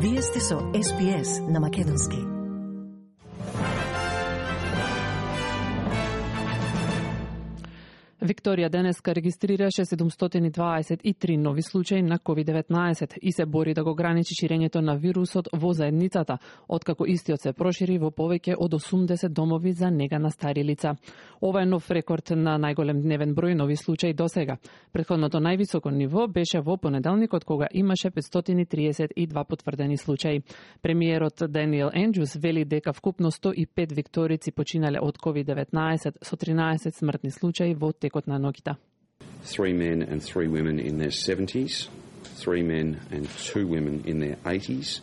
Вие сте со SPS на македонски. Викторија денеска регистрираше 723 нови случаи на COVID-19 и се бори да го граничи ширењето на вирусот во заедницата, откако истиот се прошири во повеќе од 80 домови за нега на стари лица. Ова е нов рекорд на најголем дневен број нови случаи досега. Претходното највисоко ниво беше во понеделникот, кога имаше 532 потврдени случаи. Премиерот Даниел Ендрюс вели дека вкупно 105 викторици починале од COVID-19 со 13 смртни случаи во текот на ноќта. 3 men and 3 women in their 70s, 3 men and 2 women in their 80s,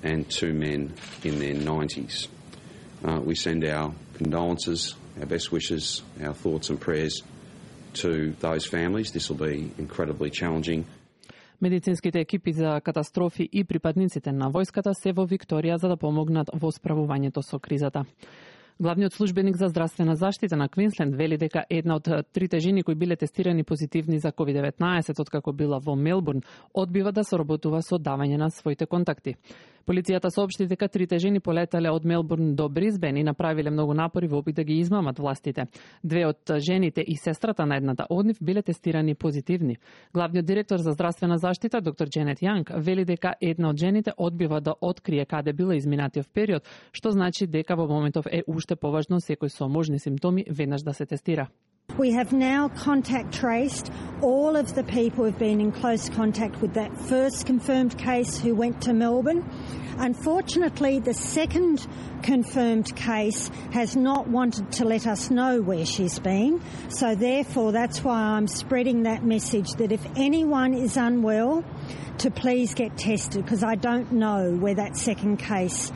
and 2 men in their 90s. We send our condolences, our best wishes, our thoughts and prayers to those families. This will be incredibly challenging. Медицинските екипи за катастрофи и припадниците на војската се во Викторија за да помогнат во справувањето со кризата. Главниот службеник за здравствена заштита на Квинсленд вели дека една од трите жени кои биле тестирани позитивни за COVID-19 откако била во Мелбурн, одбива да соработува со давање на своите контакти. Полицијата соопшти дека трите жени полетале од Мелбурн до Брисбен и направиле многу напори во опит да ги измамат властите. Две од жените и сестрата на едната од нив биле тестирани позитивни. Главниот директор за здравствена заштита, доктор Дженет Јанг, вели дека една од жените одбива да открие каде била изминатиот период, што значи дека во моментов е уште поважно секој со можни симптоми веднаш да се тестира. We have now contact traced all of the people who've been in close contact with that first confirmed case who went to Melbourne. Unfortunately, the second confirmed case has not wanted to let us know where she's been. So therefore, that's why I'm spreading that message that if anyone is unwell, to please get tested, because I don't know where that second case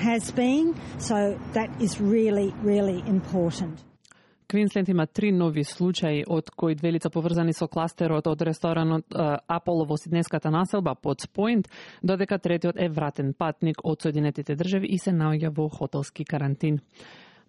has been. So that is really, really important. Квинсленд има 3 нови случаи, од кои 2 лица поврзани со кластерот од ресторанот Аполо во сиднеската населба под Пойнт, додека третиот е вратен патник од Соединетите држави и се наоѓа во хотелски карантин.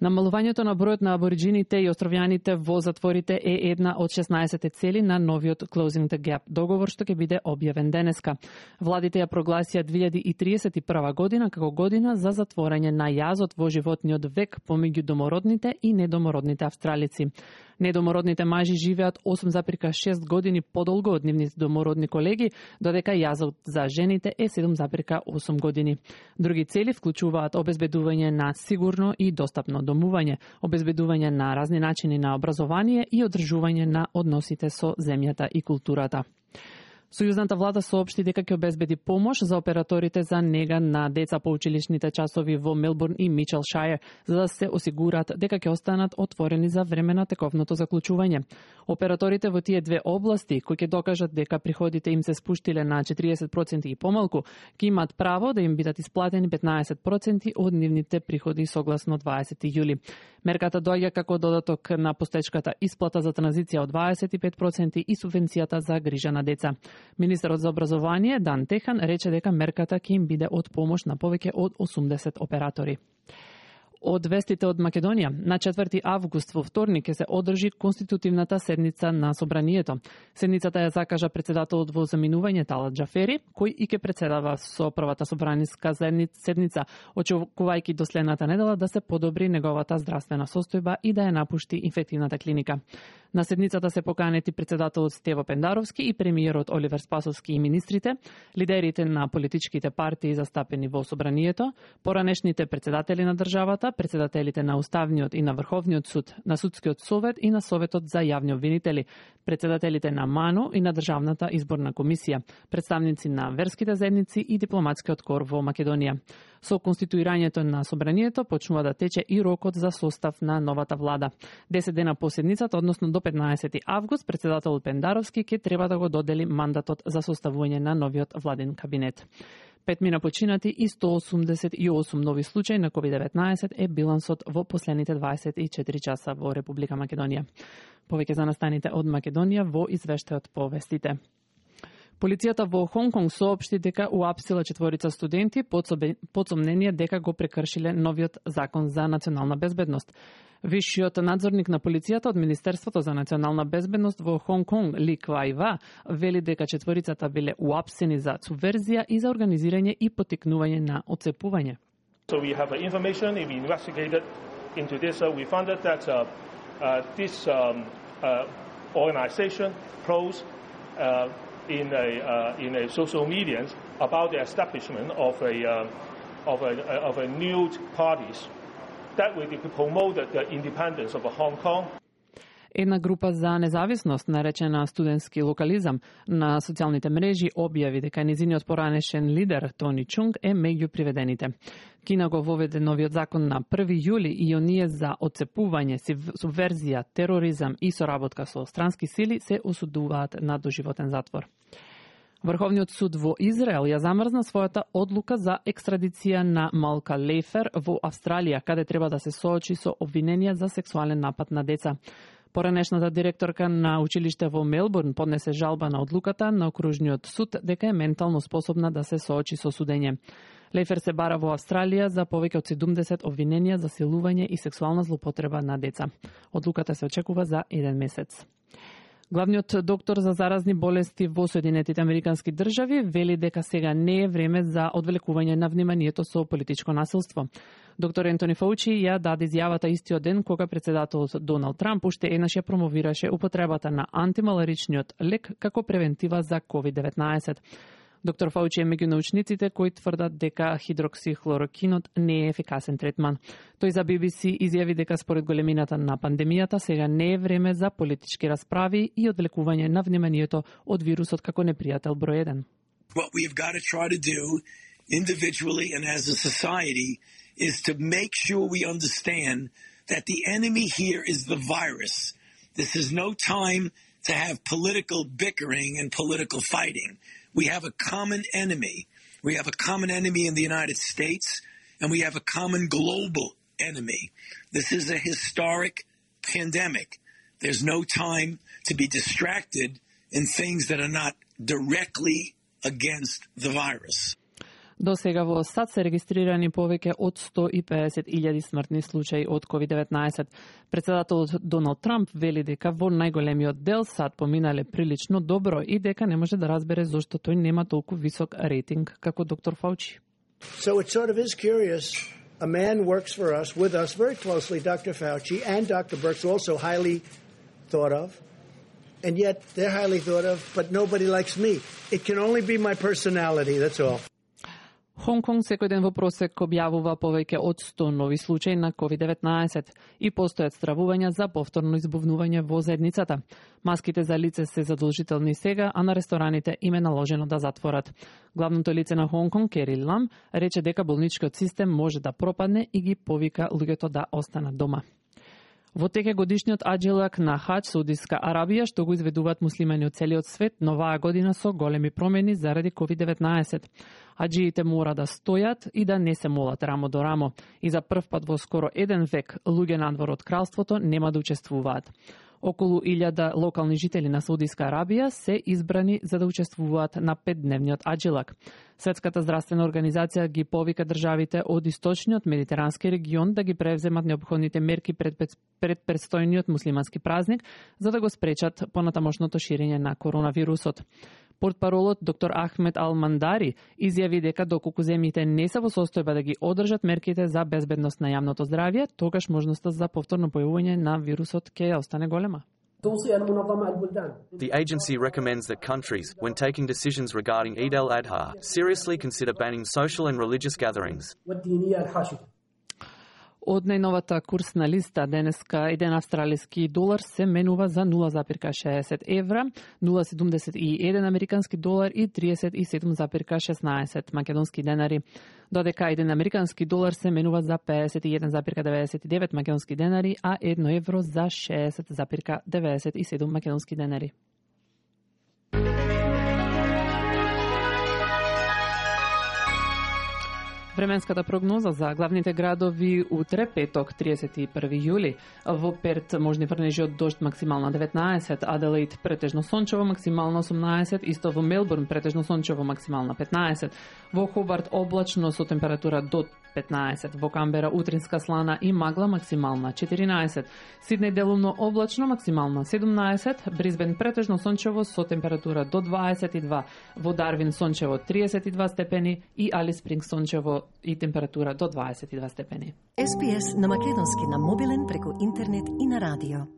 Намалувањето на бројот на абориджините и островјаните во затворите е една од 16 цели на новиот Closing the Gap договор што ќе биде објавен денеска. Владите ја прогласија 2031 година како година за затворање на јазот во животниот век помеѓу домородните и недомородните австралици. Недомородните мажи живеат 8,6 години подолго од нивните домородни колеги, додека јазот за жените е 7,8 години. Други цели вклучуваат обезбедување на сигурно и достапно домување, обезбедување на разни начини на образование и одржување на односите со земјата и културата. Сојузната влада соопшти дека ќе обезбеди помош за операторите за нега на деца по училишните часови во Мелбурн и Мичелшајер, за да се осигурат дека ќе останат отворени за време на тековното заклучување. Операторите во тие две области, кои ќе докажат дека приходите им се спуштиле на 40% и помалку, ќе имаат право да им бидат исплатени 15% од нивните приходи согласно 20 јули. Мерката доаѓа како додаток на постечката исплата за транзиција од 25% и субвенцијата за грижа на деца. Министерот за образование Дан Техан рече дека мерката ќе им биде од помош на повеќе од 80 оператори. Од вестите од Македонија, на 4 август во вторник ќе се одржи конститутивната седница на Собранието. Седницата ја закажа председателот во заминување Талат Џафери, кој и ќе председава со првата собраниска седница, очекувајќи до следната недела да се подобри неговата здравствена состојба и да ја напушти инфективната клиника. На седницата се поканети председателот Стево Пендаровски и премиерот Оливер Спасовски и министрите, лидерите на политичките партии застапени во Собранието, поранешните председатели на државата, председателите на Уставниот и на Врховниот суд, на Судскиот совет и на Советот за јавни обвинители, председателите на МАНО и на Државната изборна комисија, представници на верските заедници и дипломатскиот кор во Македонија. Со конституирањето на Собранието почнува да тече и рокот за состав на новата влада. 10 дена по седницата, односно до 15 август, председателот Пендаровски ќе треба да го додели мандатот за составување на новиот владин кабинет. 5 мина починати и 188 нови случаи на COVID-19 е билансот во последните 24 часа во Република Македонија. Повеќе за настаните од Македонија во извештајот по вестите. Полицијата во Хонг Конг соопшти дека уапсила 4 студенти под сомнение дека го прекршиле новиот закон за национална безбедност. Висшиот надзорник на полицијата од Министерството за национална безбедност во Хонг Конг, Ли Квај Ва, вели дека 4 биле уапсени за субверзија и за организирање и поттикнување на отцепување. So we have information, we investigated into this, we found out that this organization posed in a social media about the establishment of a new parties that will promote the independence of Hong Kong. Една група за независност, наречена студентски локализам, на социјалните мрежи објави дека низиниот поранешен лидер Тони Чунг е меѓу приведените. Кина го воведе новиот закон на 1 јули и оние за отцепување, субверзија, тероризам и соработка со странски сили се осудуваат на доживотен затвор. Врховниот суд во Израел ја замрзна својата одлука за екстрадиција на Малка Лейфер во Австралија, каде треба да се соочи со обвиненија за сексуален напад на деца. Поранешната директорка на училиште во Мелбурн поднесе жалба на одлуката на окружниот суд дека е ментално способна да се соочи со судење. Лейфер се бара во Австралија за повеќе од 70 обвиненија за силување и сексуална злоупотреба на деца. Одлуката се очекува за 1 месец. Главниот доктор за заразни болести во Соединетите Американски држави вели дека сега не е време за одвлекување на вниманието со политичко насилство. Доктор Ентони Фаучи ја даде изјавата истиот ден кога председателот Доналд Трамп уште еднаш ја промовираше употребата на антималаричниот лек како превентива за COVID-19. Доктор Фаучи е меѓу научниците кои тврдат дека хидроксихлорокинот не е ефикасен третман. Тој за BBC изјави дека според големината на пандемијата сега не е време за политички расправи и одвлекување на вниманието од вирусот како непријател број 1. What we've got to try to do individually and as a society is to make sure we understand that the enemy here is the virus. This is no time to have political bickering and political fighting. We have a common enemy. We have a common enemy in the United States, and we have a common global enemy. This is a historic pandemic. There's no time to be distracted in things that are not directly against the virus. До сега во САД се регистрирани повеќе од 150.000 смртни случаи од COVID-19. Председателот Доналд Трамп вели дека во најголемиот дел САД поминале прилично добро и дека не може да разбере зошто тој нема толку висок рейтинг како доктор Фаучи. So it sort of is curious. A man works for us, with us very closely, Dr. Fauci and Dr. Birx, also highly thought of. And yet they're highly thought of, but nobody likes me. It can only be my personality, that's all. Хонг Конг секој ден во просек објавува повеќе од 100 нови случаи на COVID-19 и постојат стравувања за повторно избувнување во заедницата. Маските за лице се задолжителни сега, а на рестораните им е наложено да затворат. Главното лице на Хонг Конг, Кери Лам, рече дека болничкиот систем може да пропадне и ги повика луѓето да останат дома. Во теке годишниот аџилак на Хаџ, Саудиска Арабија, што го изведуваат муслимани од целиот свет, но оваа година со големи промени заради COVID-19. Аџиите мора да стојат и да не се молат рамо до рамо. И за прв пат во скоро 1 век луѓе надвор од кралството нема да учествуваат. Околу 1000 локални жители на Саудиска Арабија се избрани за да учествуваат на 5-дневниот аџилак. Светската здравствена организација ги повика државите од источниот медитерански регион да ги превземат неопходните мерки пред предстојниот муслимански празник за да го спречат понатамошното ширење на коронавирусот. Портпаролот доктор Ахмед Ал-Мандари изјави дека доколку земјите не се во состојба да ги одржат мерките за безбедност на јавното здравје, тогаш можноста за повторно појавување на вирусот ќе остане голема. The agency recommends that countries, when taking decisions regarding Eid al-Adha, seriously consider banning social and religious gatherings. Од најновата курсна листа денеска еден австралиски долар се менува за 0,60 евра, 0,71 американски долар и 37,16 македонски денари. Додека еден американски долар се менува за 51,99 македонски денари, а 1 евро за 60,97 македонски денари. Временската прогноза за главните градови утре, петок, 31 јули. Во Перт можни врнежи од дожд, максимална 19, Аделаид претежно сончево, максимална 18, исто во Мелбурн претежно сончево, максимална 15, во Хобарт облачно со температура до 15, во Камбера утринска слана и магла, максимална 14, Сиднеј делумно облачно, максимална 17, Брисбен претежно сончево со температура до 22, во Дарвин сончево 32 степени и Алис Спрингс сончево и температура до 22 степени. SPS на македонски на мобилен преку интернет и на радио.